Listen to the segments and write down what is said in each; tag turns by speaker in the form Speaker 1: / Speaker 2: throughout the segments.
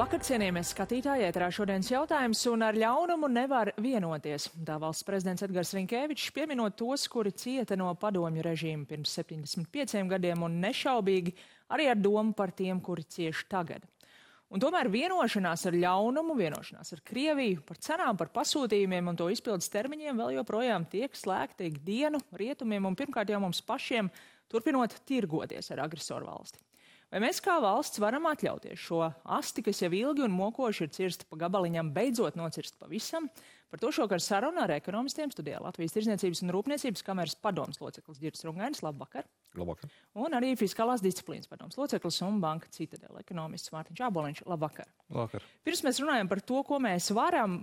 Speaker 1: Labvakar, cienījamies skatītāji, ēterā šodienas jautājums, un ar ļaunumu nevar vienoties. Tā valsts prezidents Edgars Rinkevičs, pieminot tos, kuri cieta no padomju režīma pirms 75 gadiem, un nešaubīgi arī ar domu par tiem, kuri cieši tagad. Un tomēr vienošanās ar ļaunumu, vienošanās ar Krieviju, par cenām, par pasūtījumiem un to izpildes termiņiem vēl joprojām tiek slēgta ikdienu rietumiem un pirmkārt jau mums pašiem, turpinot tirgoties ar agresoru valsti. Vai mēs kā valsts varam atļauties šo asti, kas jau ilgi un mokoši ir cirsta pa gabaliņam, beidzot nocirst pavisam? Par to šokar saruna ar ekonomistiem studijā Latvijas Tirdzniecības un Rūpniecības kameras padomes loceklis Girts Rungainis. Labvakar.
Speaker 2: Labvakar.
Speaker 1: Un arī Fiskālās disciplīnas padomes loceklis un Banka Citadele ekonomists Mārtiņš Āboliņš. Labvakar.
Speaker 2: Labvakar.
Speaker 1: Pirms mēs runājam par to, ko mēs varam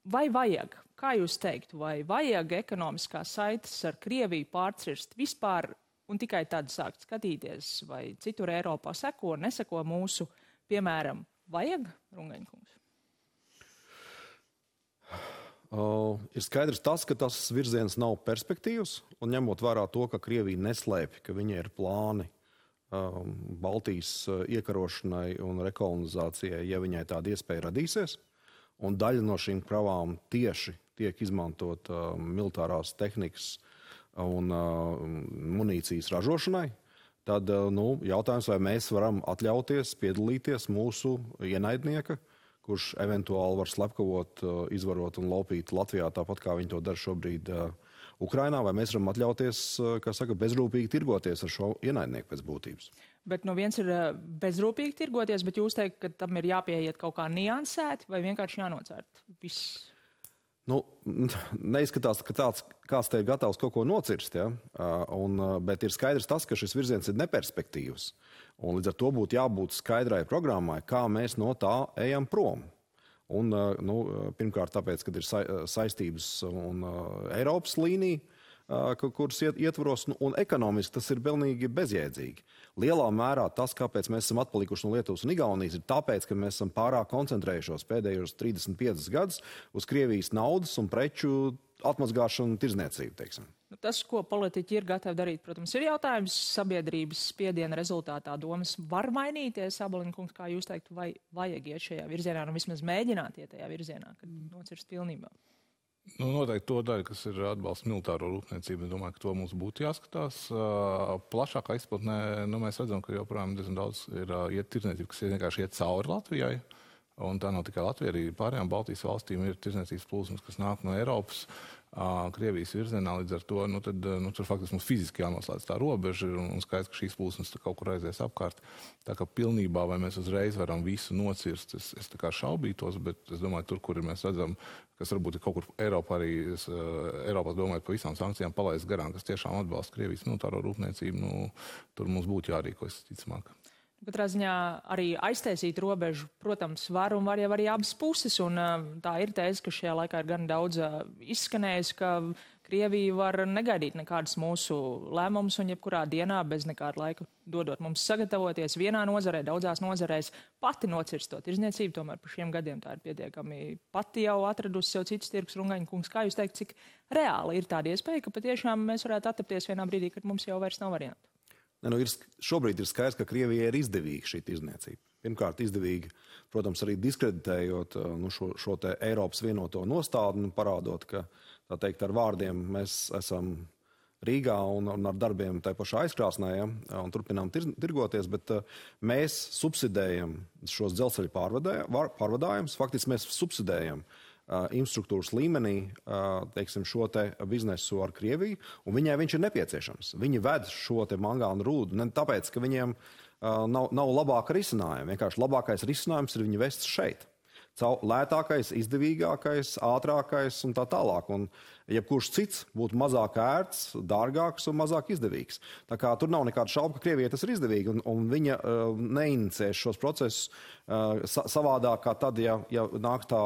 Speaker 1: vai vajag, kā jūs teiktu, vai vajag ekonomiskās saites ar Krieviju pārcirst vispār, un tikai tad sākt skatīties, vai citur Eiropā seko, neseko mūsu, piemēram, vajag, Rungaņkungs?
Speaker 2: Ir skaidrs tas, ka tas virziens nav perspektīvs, un ņemot vērā to, ka Krievija neslēpj, ka viņai ir plāni Baltijas iekarošanai un rekolonizācijai, ja viņai tāda iespēja radīsies, un daļa no šīm kravām tieši tiek izmantot militārās tehnikas un munīcijas ražošanai, tad jautājums, vai mēs varam atļauties piedalīties mūsu ienaidnieka, kurš eventuāli var slepkavot, izvarot un laupīt Latvijā, tāpat kā viņi to dara šobrīd Ukrainā, vai mēs varam atļauties, kā saka, bezrūpīgi tirgoties ar šo ienaidnieku pēc būtības.
Speaker 1: Bet no viens ir bezrūpīgi tirgoties, bet jūs teikt, ka tam ir jāpieiet kaut kā niansēti vai vienkārši jānocērt viss?
Speaker 2: Neizskatās, ka kāds te ir gatavs kaut ko nocirst, ja? Bet ir skaidrs tas, ka šis virziens ir neperspektīvs. Un līdz ar to būtu jābūt skaidrai programmai, kā mēs no tā ejam prom. Un, pirmkārt, tāpēc, kad ir saistības un Eiropas līnija, kuras ietvaros, un ekonomiski tas ir pilnīgi bezjēdzīgi. Lielā mērā tas, kāpēc mēs esam atpalikuši no Lietuvas un Igaunijas, ir tāpēc, ka mēs esam pārāk koncentrējušos pēdējos 35 gadus uz Krievijas naudas un preču atmazgāšanu un tirdzniecību, teiksim.
Speaker 1: Tas, ko politiķi ir gatavi darīt, protams, ir jautājums sabiedrības spiediena rezultātā. Domas var mainīties, Āboliņkungs, kā jūs teiktu, vai vajag iet šajā virzienā, un vismaz mēģināt iet tajā virzienā, kad nocirst pilnībā?
Speaker 3: Noteikti to daļu, kas ir atbalsts militāro rūpniecību, es domāju, ka to mums būtu jāskatās. Plašākā izplatnē mēs redzam, ka joprojām diezgan daudz ir tirdzniecība, kas vienkārši iet cauri Latvijai. Un tā nav tikai Latvija, arī pārējām Baltijas valstīm ir tirdzniecības plūsmas, kas nāk no Eiropas, Krievijas virzienā. Līdz ar to tur faktiski mums fiziski jānoslēdz tā robeža, un skaidrs, ka šīs plūsmas kaut kur aizies apkārt. Tā kā pilnībā, vai mēs uzreiz varam visu nocirst, es tā kā šaubītos, bet es domāju, tur, kur mēs redzam, kas varbūt ir kaut kur Eiropā arī, Eiropā domājot par visām sankcijām palaist garām, kas tiešām atbalsta Krievijas militāro rūpniecību, tur mums būtu jārīkojas ticamāk.
Speaker 1: Katrā ziņā arī aiztaisīt robežu, protams, var un var jau arī abas puses, un tā ir tēze, ka šajā laikā ir gan daudz izskanējis, ka Krievija var negaidīt nekādas mūsu lēmumus un jebkurā dienā bez nekāda laika dodot mums sagatavoties vienā nozarē, daudzās nozarēs pati nocirst to tirdzniecību, tomēr par šiem gadiem tā ir pietiekami pati jau atradusi sev citus tirgus. Rungaņkungs, kā jūs teikt, cik reāli ir tāda iespēja, ka patiešām mēs varētu attapties vienā brīdī, kad mums jau vairs nav variantu?
Speaker 2: Šobrīd ir skaidrs, ka Krievijai ir izdevīga šī tirdzniecība. Pirmkārt, izdevīga, protams, arī diskreditējot šo te Eiropas vienoto nostādni, parādot, ka, tā teikt, ar vārdiem mēs esam Rīgā un ar darbiem tai pašā aizkrāsnē, ja, un turpinām tirgoties, bet mēs subsidējam šos dzelzceļa pārvadājumus, faktiski mēs subsidējam infrastruktūras līmenī, teiksim, šo te biznesu ar Krieviju, un viņai viņš ir nepieciešams. Viņi ved šo te mangānu rūdu, ne tāpēc, ka viņiem nav labāka risinājuma. Vienkārši labākais risinājums ir viņi vest šeit. Lētākais, izdevīgākais, ātrākais un tā tālāk. Un jebkurš cits būtu mazāk ērts, dārgāks un mazāk izdevīgs. Tā kā tur nav nekāda šauba, ka Krievijai tas ir izdevīgi, un viņa neinicēs šos procesus savādāk kā tad, ja nāk tā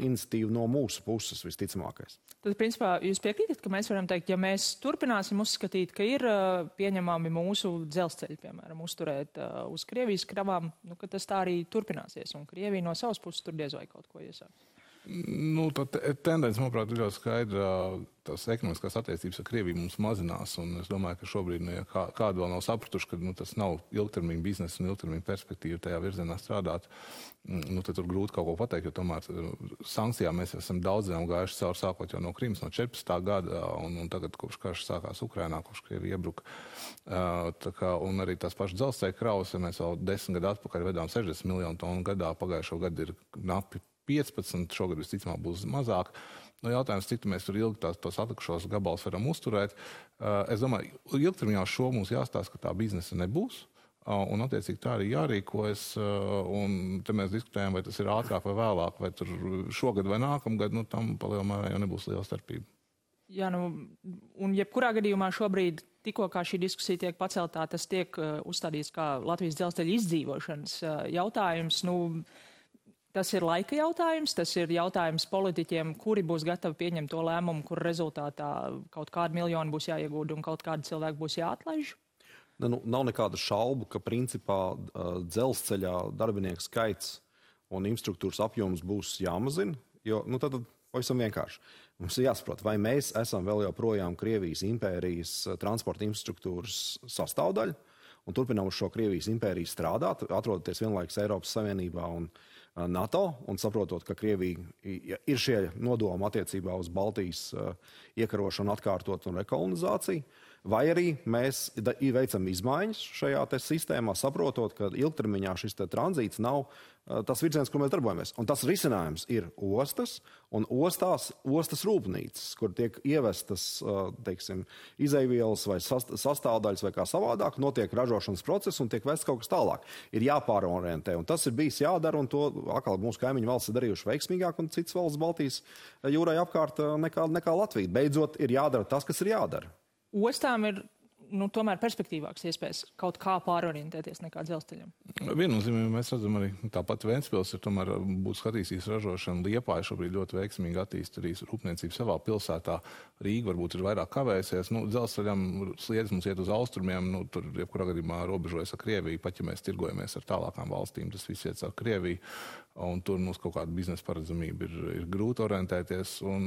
Speaker 2: iniciatīva no mūsu puses visticamākais.
Speaker 1: Tad, principā, jūs piekrītat, ka mēs varam teikt, ja mēs turpināsim uzskatīt, ka ir pieņemami mūsu dzelzceļi, piemēram, uzturēt uz Krievijas kravām, ka tas tā arī turpināsies, un Krievija no savas puses tur diez vai kaut ko iesāks?
Speaker 3: Nu, tā tendence, manuprāt, ir ļoti skaidra. Tās ekonomiskās attiecības ar Krieviju mums mazinās, un es domāju, ka šobrīd kādu vēl nav sapratuši, ka tas nav ilgtermiņa biznesa un ilgtermiņa perspektīva tajā virzienā strādāt. Tad tur grūti kaut ko pateikt, jo tomēr sankcijām mēs esam daudziem gājuši cauri sākot jau no Krimas no 14. gada, un tagad kopš karš sākās Ukrainā, kopš Krievija iebruka. Un arī tās pašas dzelzceļa kravas, ja mēs vēl 10 gadu atpakaļ vedām 60 miljonu tonu gadā, pagājušo gadu ir knapi 15, šogad visticamāk būs mazāk. Jautājums, cik mēs tur ilgi tos atlikušos gabalus varam uzturēt. Es domāju, ilgtermiņā šo mums jāstāsta, ka tā biznesa nebūs, un attiecīgi tā arī jārīkojas, un te mēs diskutējam, vai tas ir ātrāk vai vēlāk, vai tur šogad vai nākamgad, tam palielumā jau nebūs liela starpība.
Speaker 1: Jā, un jebkurā gadījumā šobrīd, tikko kā šī diskusija tiek paceltā, tas tiek uzstādīts kā Latvijas dzelzceļa izdzīvošanas jautājums. Tas ir laika jautājums, tas ir jautājums politiķiem, kuri būs gatavi pieņemt to lēmumu, kur rezultātā kaut kādi miljoni būs jāiegūda un kaut kādi cilvēki būs jāatlaiž?
Speaker 2: Nav nekāda šaubu, ka principā dzelzceļā darbinieku skaits un infrastruktūras apjoms būs jāmazina, jo tad pavisam vienkārši. Mums ir jāsaprot, vai mēs esam vēl joprojām Krievijas impērijas transporta infrastruktūras sastāvdaļa un turpinām uz šo Krievijas impēriju strādāt, atrodoties vienlaikus Eiropas Savienībā un NATO, un saprotot, ka Krievija ir šie nodomi attiecībā uz Baltijas iekarošanu, atkārtot un rekolonizāciju, vai arī mēs veicam izmaiņas šajā sistēmā, saprotot, ka ilgtermiņā šis tranzīts nav tas virziens, kur mēs darbojamies. Un tas risinājums ir ostas un ostas rūpnīcas, kur tiek ievestas, izeivielas vai sastāvdaļas vai kā savādāk, notiek ražošanas process un tiek vests kaut kas tālāk. Ir jāpārorientē, un tas ir bijis jādara, un to atkal mūsu kaimiņu valsts ir darījuši veiksmīgāk, un citas valsts Baltijas jūrai apkārt nekā Latvija. Beidzot, ir jādara tas, kas ir jādara.
Speaker 1: Ostām ir tomēr perspektīvāks iespējas kaut kā pārorientēties nekā dzelzceļam.
Speaker 3: Viennozīmīgi mēs redzam arī tāpat Ventspils ir tomēr būtu skatīsies ražošana. Liepāja šobrīd ļoti veiksmīgi attīsta arī rūpniecību savā pilsētā. Rīga varbūt ir vairāk kavējusies. Dzelzceļam sliedz mums iet uz austrumiem, tur jebkurā gadījumā robežojas ar Krieviju, pat ja mēs tirgojamies ar tālākām valstīm, tas viss iet ar Krieviju. Un tur mums kaut kāda biznesa paredzamība ir grūti orientēties. Un,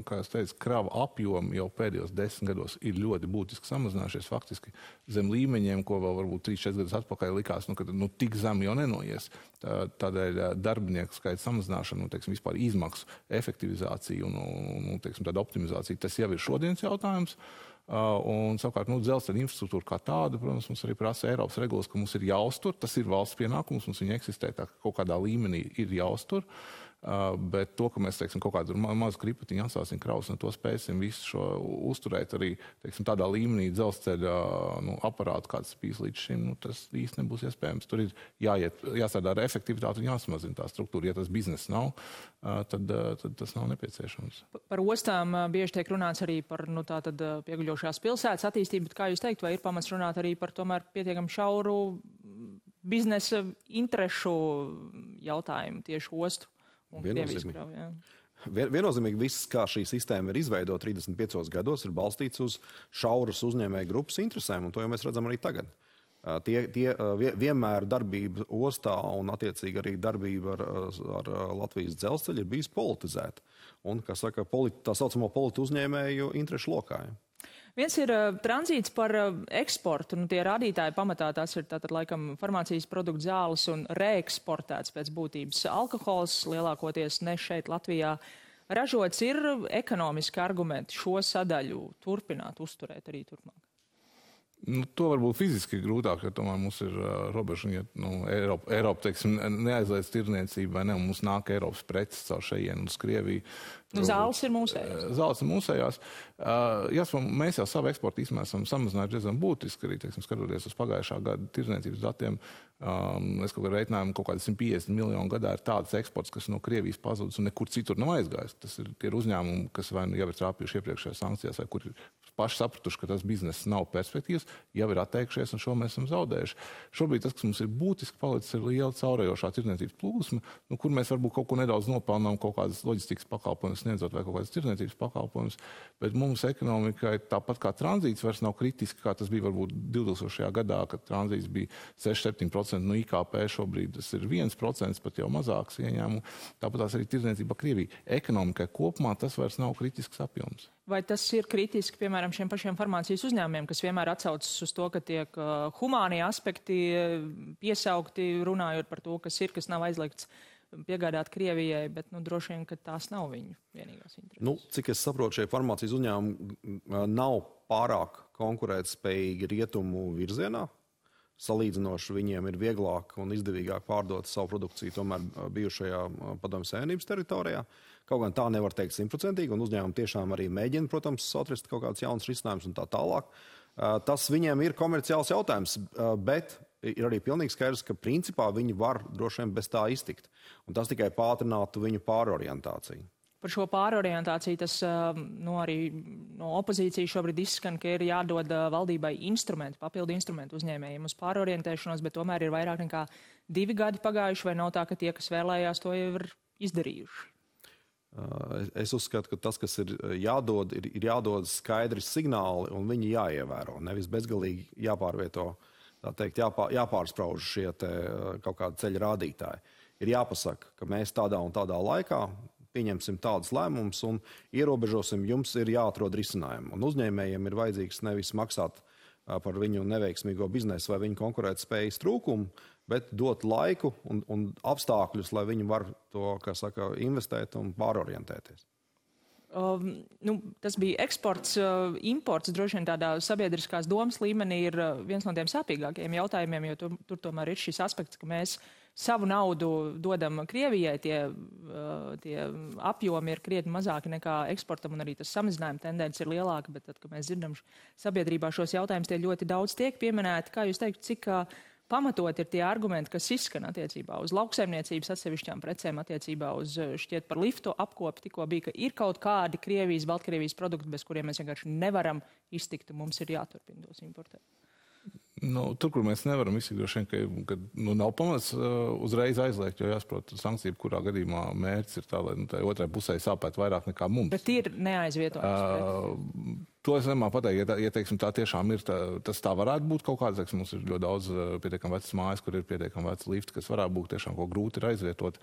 Speaker 3: kā es teicu, krava apjomi jau pēdējos 10 gados ir ļoti būtiski samazinājušies faktiski zem līmeņiem, ko vēl varbūt 3-4 gadus atpakaļ likās, ka tik zem jau nenoies. Tādēļ darbinieku skaita samazināšana, vispār izmaksu efektivizācija un tāda optimizācija, tas jau ir šodienas jautājums. Un savukārt dzelzceļa infrastruktūra kā tāda, protams, mums arī prasa Eiropas regulas, ka mums ir jāuztur, tas ir valsts pienākums, mums viņa eksistē, tā ka kaut kādā līmenī ir jāuztur, bet to, ka mēs, kaut kādu mazu kripatiņu atstāsim kravas un to spēsim visu šo uzturēt arī, tādā līmenī dzelzceļa aparātu, kāds bijis līdz šim, tas īsti nebūs iespējams. Tur ir jāstrādā ar efektivitāti un jāsamazina tā struktūra. Ja tas bizness nav, tad tas nav nepieciešams.
Speaker 1: Par ostām bieži tiek runāts arī par pieguļošās pilsētas attīstību, bet kā jūs teikt, vai ir pamats runāt arī par tomēr pietiekam šauru biznesa interešu jautājumu tieši ostu?
Speaker 2: Viennozīmīgi viss, kā šī sistēma ir izveidota 35 gados, ir balstīts uz šauras uzņēmēju grupas interesēm, un to jau mēs redzam arī tagad. Vienmēr darbība ostā un attiecīgi arī darbība ar Latvijas dzelzceļu ir bijis politizēta. Un, kā saka, tā saucamo politu uzņēmēju interešu lokā.
Speaker 1: Viens ir tranzīts par eksportu, tie rādītāji pamatā tās ir tātad laikam farmācijas produktu zāles un reeksportēts pēc būtības alkohols, lielākoties ne šeit Latvijā ražots. Ir ekonomiski argumenti šo sadaļu turpināt, uzturēt arī turpmāk?
Speaker 3: To varbūt fiziski grūtāk, jo tomēr mums ir robeža, ja Eiropa neaizliedz tirniecību vai ne, un mums nāk Eiropas preces caur šejienu uz Krieviju.
Speaker 1: Zāles ir mūsējās.
Speaker 3: Zāles ir mūsējās. Mēs jau savu eksportu īstenībā esam samazinājuši diezgan būtiski, arī skatoties uz pagājušā gada tirniecības datiem. Es kaut kā reiķinājumu, kaut kādi 150 miljonu gadā ir tāds eksports, kas no Krievijas pazudis un nekur citur nav aizgājis. Tas ir uzņēmumi, kas vai jau ir trāpījuši iepriekšējās sankcijās, vai kur ir paši sapratuši, ka tas bizness nav perspektīvs. jau ir atteikšies, un šo mēs esam zaudējuši. Šobrīd tas, kas mums ir būtiski palicis, ir liela caurējošā tirdzniecības plūsma, kur mēs varbūt kaut ko nedaudz nopelnām, kaut kādas loģistikas pakalpojumus sniedzot vai kaut kādas tirdzniecības pakalpojumus, bet mums ekonomikai tāpat kā tranzīts vairs nav kritiski, kā tas bija varbūt 2000. Gadā, kad tranzīts bija 6-7% no IKP, šobrīd tas ir 1%, pat jau mazāks ieņēmumu. Tāpat tās arī tirdzniecība Krievija. Ekonomikai kopumā tas vairs nav kritisks apjoms.
Speaker 1: Vai tas ir kritiski, piemēram, šiem pašiem farmācijas uzņēmumiem, kas vienmēr atsaucas uz to, ka tiek humānie aspekti piesaukti, runājot par to, kas ir, kas nav aizliegts piegādāt Krievijai, bet droši vien, ka tās nav viņu vienīgās intereses?
Speaker 2: Cik es saprotu, šie farmācijas uzņēmumi nav pārāk konkurētspējīgi rietumu virzienā. Salīdzinoši viņiem ir vieglāk un izdevīgāk pārdot savu produkciju tomēr bijušajā Padomju Savienības teritorijā. Kaut gan tā nevar teikt 100%, un uzņēmumi tiešām arī mēģina, protams, atrast kaut kāds jauns risinājums un tā tālāk. Tas viņiem ir komerciāls jautājums, bet ir arī pilnīgi skaidrs, ka principā viņi var droši vien bez tā iztikt. Un tas tikai pātrinātu viņu pārorientāciju.
Speaker 1: Par šo pārorientāciju tas arī no opozīcijas šobrīd izskan, ka ir jādod valdībai instrumenti, papildu instrumenti uzņēmējiem uz pārorientēšanos, bet tomēr ir vairāk nekā 2 gadi pagājuši, vai nav tā, ka tie, kas vēlējās, to jau ir izdarījuši?
Speaker 2: Es uzskatu, ka tas, kas ir jādod, ir jādod skaidri signāli un viņi jāievēro. Nevis bezgalīgi jāpārvieto, tā teikt, jāpārsprauž šie kaut kādi ceļa rādītāji. Ir jāpasaka, ka mēs tādā un tādā laikā pieņemsim tādus lēmumus un ierobežosim, jums ir jāatrod risinājumi. Un uzņēmējiem ir vajadzīgs nevis maksāt par viņu neveiksmīgo biznesu vai viņu konkurētspējas trūkumu, bet dot laiku un apstākļus, lai viņi var to, kā saka, investēt un pārorientēties.
Speaker 1: Tas bija eksports, imports, droši vien tādā sabiedriskās domas līmenī ir viens no tiem sāpīgākajiem jautājumiem, jo tur tomēr ir šis aspekts, ka mēs savu naudu dodam Krievijai, tie apjomi ir krietni mazāki nekā eksportam, un arī tas samazinājuma tendence ir lielāka, bet tad, kad mēs dzirdam sabiedrībā šos jautājumus, tie ļoti daudz tiek pieminēti. Kā jūs teikt, cik pamatot ir tie argumenti, kas izskan attiecībā uz lauksaimniecības atsevišķām precēm, attiecībā uz šķiet par liftu apkopi, tikko bija, ka ir kaut kādi Krievijas, Baltkrievijas produkti, bez kuriem mēs vienkārši nevaram iztikt, un mums ir jāturpina tos importēt?
Speaker 3: Tur, kur mēs nevaram izsakt, ka nav pamats uzreiz aizliegt, jo jāsaprot, sankcija, kurā gadījumā mērķis ir tā, lai otrai pusē sāpētu vairāk nekā mums.
Speaker 1: Bet ir neaizvietojums.
Speaker 3: To es nemāku pateikt, ja teiksim, tā tiešām ir, tas tā varētu būt kaut kāds, teiksim, mums ir ļoti daudz pietiekami vecas mājas, kur ir pietiekami veci lifti, kas varētu būt tiešām kaut grūti ir aizvietot,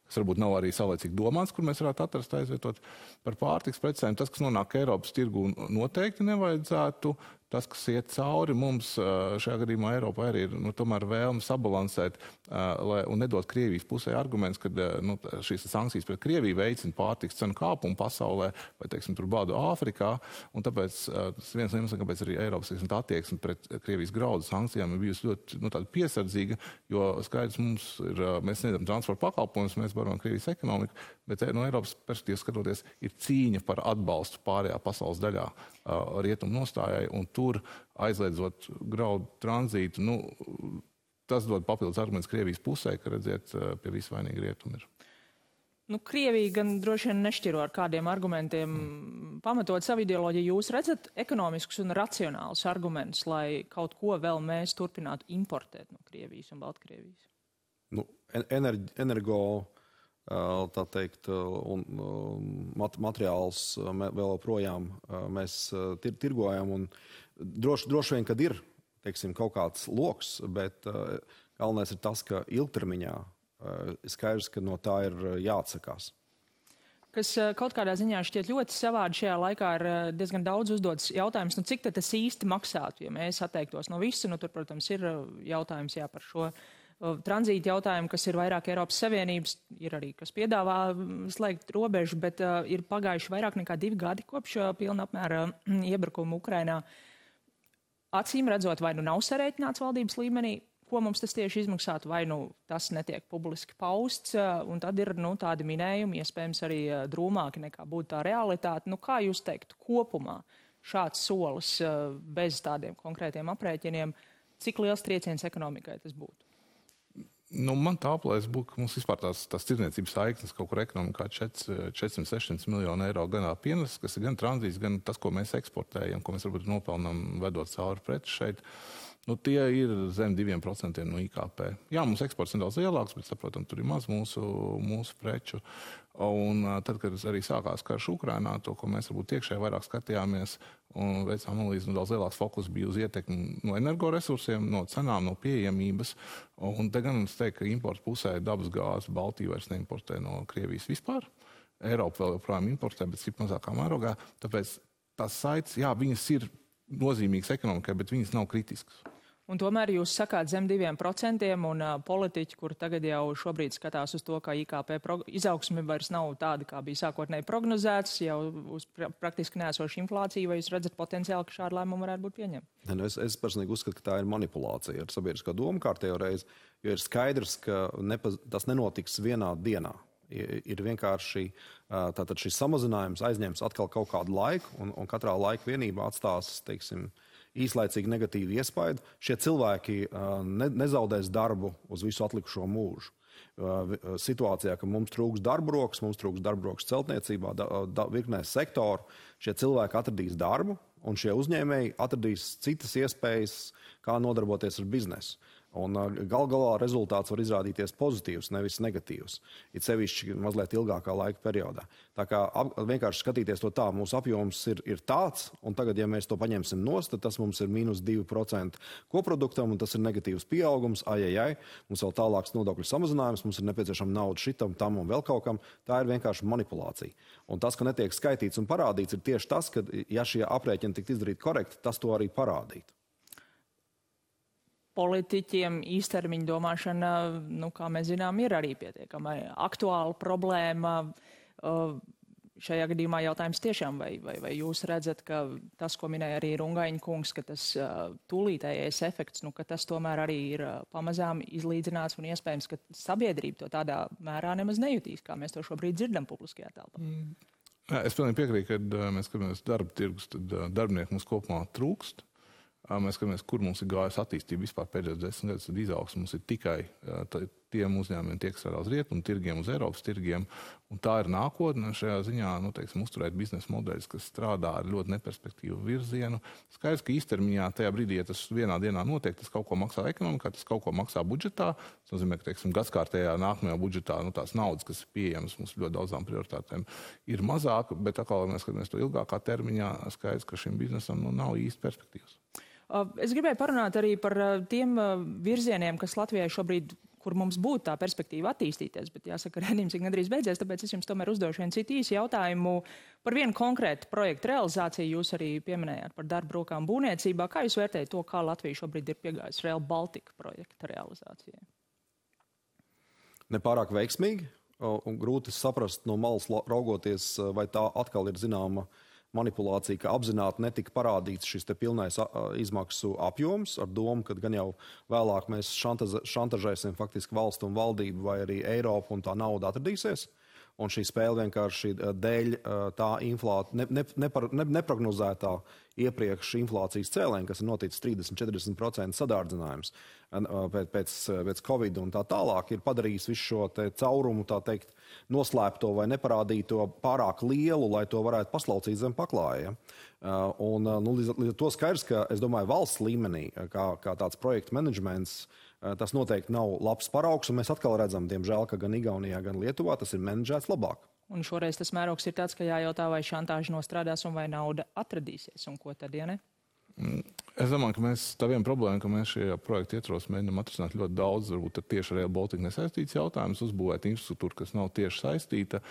Speaker 3: kas varbūt nav arī saulēcīgi domāts, kur mēs varētu atrast aizvietot. Par pārtiks precēm, tas, kas nonāk Eiropas tirgu, noteikti nevajadzētu. Tas, kas iet cauri mums, šajā gadījumā Eiropā arī ir tomēr vēlme sabalansēt un nedot Krievijas pusē arguments, ka šīs sankcijas pret Krieviju veicina pārtiks cenu kāpumu pasaulē vai, teiksim, tur bādu Āfrikā. Un tāpēc tas viens no iemesliem, kāpēc arī Eiropas attieksme pret Krievijas graudu sankcijām ir bijusi ļoti tāda piesardzīga, jo skaidrs mums ir, mēs sniedzam transporta pakalpojumus, mēs barojam Krievijas ekonomiku, bet no Eiropas perspektīvas skatoties ir cīņa par atbalstu pārējā pasaules daļā rietumu nostājai, un tur aizliedzot graudu tranzītu, tas dod papildus arguments Krievijas pusē, ka redziet, pie visu vainīgi rietumi ir.
Speaker 1: Krievija gan droši vien nešķiro ar kādiem argumentiem pamatot savu ideoloģiju. Jūs redzat ekonomiskus un racionālus argumentus, lai kaut ko vēl mēs turpinātu importēt no Krievijas un Baltkrievijas?
Speaker 2: Energo, tā teikt, un materiāls vēl projām mēs tirgojam, un droši vien, kad ir, teiksim, kaut kāds loks, bet galvenais ir tas, ka ilgtermiņā skaidrs, ka no tā ir jāatsakās.
Speaker 1: Kas kaut kādā ziņā šķiet ļoti savādi šajā laikā, ir diezgan daudz uzdots jautājums, cik tad tas īsti maksātu, ja mēs atteiktos no visu. Tur, protams, ir jautājums par šo tranzītu jautājumu, kas ir vairāk Eiropas Savienības, ir arī, kas piedāvā slēgt robežu, bet ir pagājuši vairāk nekā 2 gadi kopš pilna apmēra iebrukuma Ukrainā. Acīm redzot, vai nav sarēķināts valdības līmenī, ko mums tas tieši izmaksātu, vai tas netiek publiski pausts, un tad ir tādi minējumi, iespējams arī drūmāki nekā būtu tā realitāte. Kā jūs teiktu, kopumā šāds solis bez tādiem konkrētiem aprēķiniem, cik liels trieciens ekonomikai tas būtu?
Speaker 3: Man tā aplēs būtu, ka mums vispār tās tirdzniecības saiknes kaut kur ekonomikā 400-600 miljonu eiro gan pienes, kas ir gan tranzīts, gan tas, ko mēs eksportējam, ko mēs varbūt nopelnām vedot cauri preci šeit. Tie ir zem 2% no IKP. Jā, mums eksports nedaudz lielāks, bet, saprotam, tur ir maz mūsu preču. Un tad, kad arī sākās karš Ukrainā, to, ko mēs varbūt iekšēji vairāk skatījāmies un veicām analīzi, daudz lielāks fokus bija uz ietekmi no energoresursiem, no cenām, no pieejamības. Un te gan es teiktu, ka importa pusē dabas gāzi Baltija vairs neimportē no Krievijas vispār. Eiropa vēl joprojām importē, bet cik mazākā mērogā. Tāpēc tās saites, jā, viņas ir nozīmīgas ekonomikai, bet viņas nav kritiskas.
Speaker 1: Un tomēr jūs sakāt zem 2% un politiķi, kur tagad jau šobrīd skatās uz to, ka IKP izaugsme vairs nav tāda, kā bija sākotnēji prognozēts, jau uz praktiski neesošu inflāciju, vai jūs redzat potenciāli, ka šādu lēmumu varētu būt pieņemta?
Speaker 2: Es personīgi uzskatu, ka tā ir manipulācija ar sabiedrisko domu kārtējo reizi, jo ir skaidrs, ka tas nenotiks vienā dienā. Ir vienkārši tātad šis samazinājums aizņems atkal kaut kādu laiku, un katrā laika vienībā atstās, teiksim, īslaicīgi negatīvu iespaidu. Šie cilvēki nezaudēs darbu uz visu atlikušo mūžu. Situācijā, ka mums trūks darba rokas celtniecībā, virknē sektoru, šie cilvēki atradīs darbu, un šie uzņēmēji atradīs citas iespējas, kā nodarboties ar biznesu. Un galā rezultāts var izrādīties pozitīvs, nevis negatīvs. It sevišķi mazliet ilgākā laika periodā. Tā kā vienkārši skatīties to tā, mūsu apjoms ir tāds, un tagad, ja mēs to paņemsim nost, tad tas mums ir -2% koproduktam, un tas ir negatīvs pieaugums, mums vēl tālāks nodokļu samazinājums, mums ir nepieciešama nauda šitam, tam un vēl kaut kam. Tā ir vienkārši manipulācija. Un tas, ka netiek skaitīts un parādīts, ir tieši tas, ka, ja šie aprēķini tiktu izdarīti korekti, tas to arī parādītu.
Speaker 1: Politiķiem īstermiņa domāšana, kā mēs zinām, ir arī pietiekama aktuāla problēma. Šajā gadījumā jautājums tiešām, vai jūs redzat, ka tas, ko minēja arī Rungaņa kungs, ka tas tūlītējais efekts, ka tas tomēr arī ir pamazām izlīdzināts un iespējams, ka sabiedrība to tādā mērā nemaz nejutīs, kā mēs to šobrīd dzirdam publiskajā telpā?
Speaker 3: Es pilnīgi piekrītu, kad mēs skatāmies darba tirgus, tad darbinieku mums kopumā trūkst. Mēs skatāmies, kur mums ir gājusi attīstība vispār pēdējos 10 gadus, tad izaugsme mums ir tikai tiem uzņēmumiem, tie, kas strādā uz rietumu tirgiem, uz Eiropas tirgiem, un tā ir nākotne šajā ziņā, uzturēt biznesa modeļus, kas strādā ar ļoti neperspektīvu virzienu. Skaidrs, ka īstermiņā tajā brīdī, ja tas vienā dienā notiek, tas kaut ko maksā ekonomikā, tas kaut ko maksā budžetā. Tas nozīmē, ka, gadskārtējā nākamajā budžetā tās naudas, kas ir pieejamas mums ļoti daudzām prioritātēm, ir mazāk, bet atkal, mēs skatāmies to ilgākā termiņā, skaidrs, ka šim biznesam nav īsti perspektīvas.
Speaker 1: Es gribēju parunāt arī par tiem virzieniem, kas Latvijai šobrīd, kur mums būtu tā perspektīva attīstīties, bet jāsaka, redzījums ir gandrīz beidzies, tāpēc es jums tomēr uzdošu vienu citu īsu jautājumu par vienu konkrētu projektu realizāciju. Jūs arī pieminējāt par darba rokām būvniecībā. Kā jūs vērtējat to, kā Latvija šobrīd ir piegājusi Rail Baltica projekta realizācijai?
Speaker 2: Nepārāk veiksmīgi, un grūti saprast no malas raugoties, vai tā atkal ir zināma manipulācija, ka apzināti netika parādīts šis te pilnais izmaksu apjoms ar domu, ka gan jau vēlāk mēs šantažēsim faktiski valstu un valdību vai arī Eiropu un tā nauda atradīsies. Un šī spēle vienkārši dēļ tā neprognozētā iepriekš inflācijas cēlēņa, kas ir noticis 30-40% sadārdzinājums pēc Covid un tā tālāk, ir padarījis visu šo te caurumu, tā teikt, noslēpto vai neparādīto pārāk lielu, lai to varētu paslaucīt zem paklāja. Līdz ar to skaidrs, ka, es domāju, valsts līmenī, kā tāds projektu menedžments, tas noteikti nav labs paraugs, un mēs atkal redzam, diemžēl, ka gan Igaunijā, gan Lietuvā tas ir menedžēts labāk.
Speaker 1: Un šoreiz tas mērogs ir tāds, ka jājautā, vai šantāža nostrādās un vai nauda atradīsies, un ko tad, ja ne?
Speaker 3: Es domāju, ka tā viena problēma, ka mēs šajā projekta ietvaros mēģinām atrisināt ļoti daudz, varbūt ar tieši ar Rail Baltica nesaistīts jautājums, uzbūvēt infrastruktūru, kas nav tieši saistīta,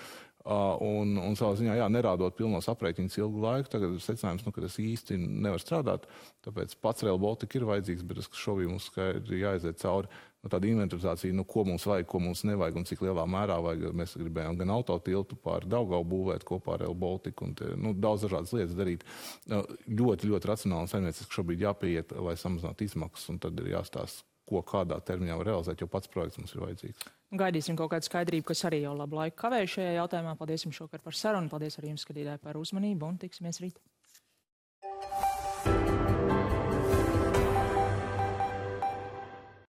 Speaker 3: un savā ziņā, nerādot pilnos aprēķinus ilgu laiku, tagad ir secinājums, ka tas īsti nevar strādāt, tāpēc pats Rail Baltica ir vajadzīgs, bet šobrīd mums skaidri jāaiziet cauri tāda inventarizācija, ko mums vajag, ko mums nevajag un cik lielā mērā vajag. Mēs gribējām gan autotiltu pār Daugavu būvēt kopā ar Rail Baltica un daudz dažādas lietas darīt. Ļoti, ļoti racionāli un saimnieciski šobrīd jāpieiet, lai samazinātu izmaksas, un tad ir jāstāsta, ko kādā termiņā var realizēt, jo pats projekts mums ir vajadzīgs.
Speaker 1: Gaidīsim kaut kādu skaidrību, kas arī jau labu laiku kavēja šajā jautājumā. Paldies jums šokar par sarunu, paldies arī jums, skatītāji, par uzmanību un tiksimies rīt.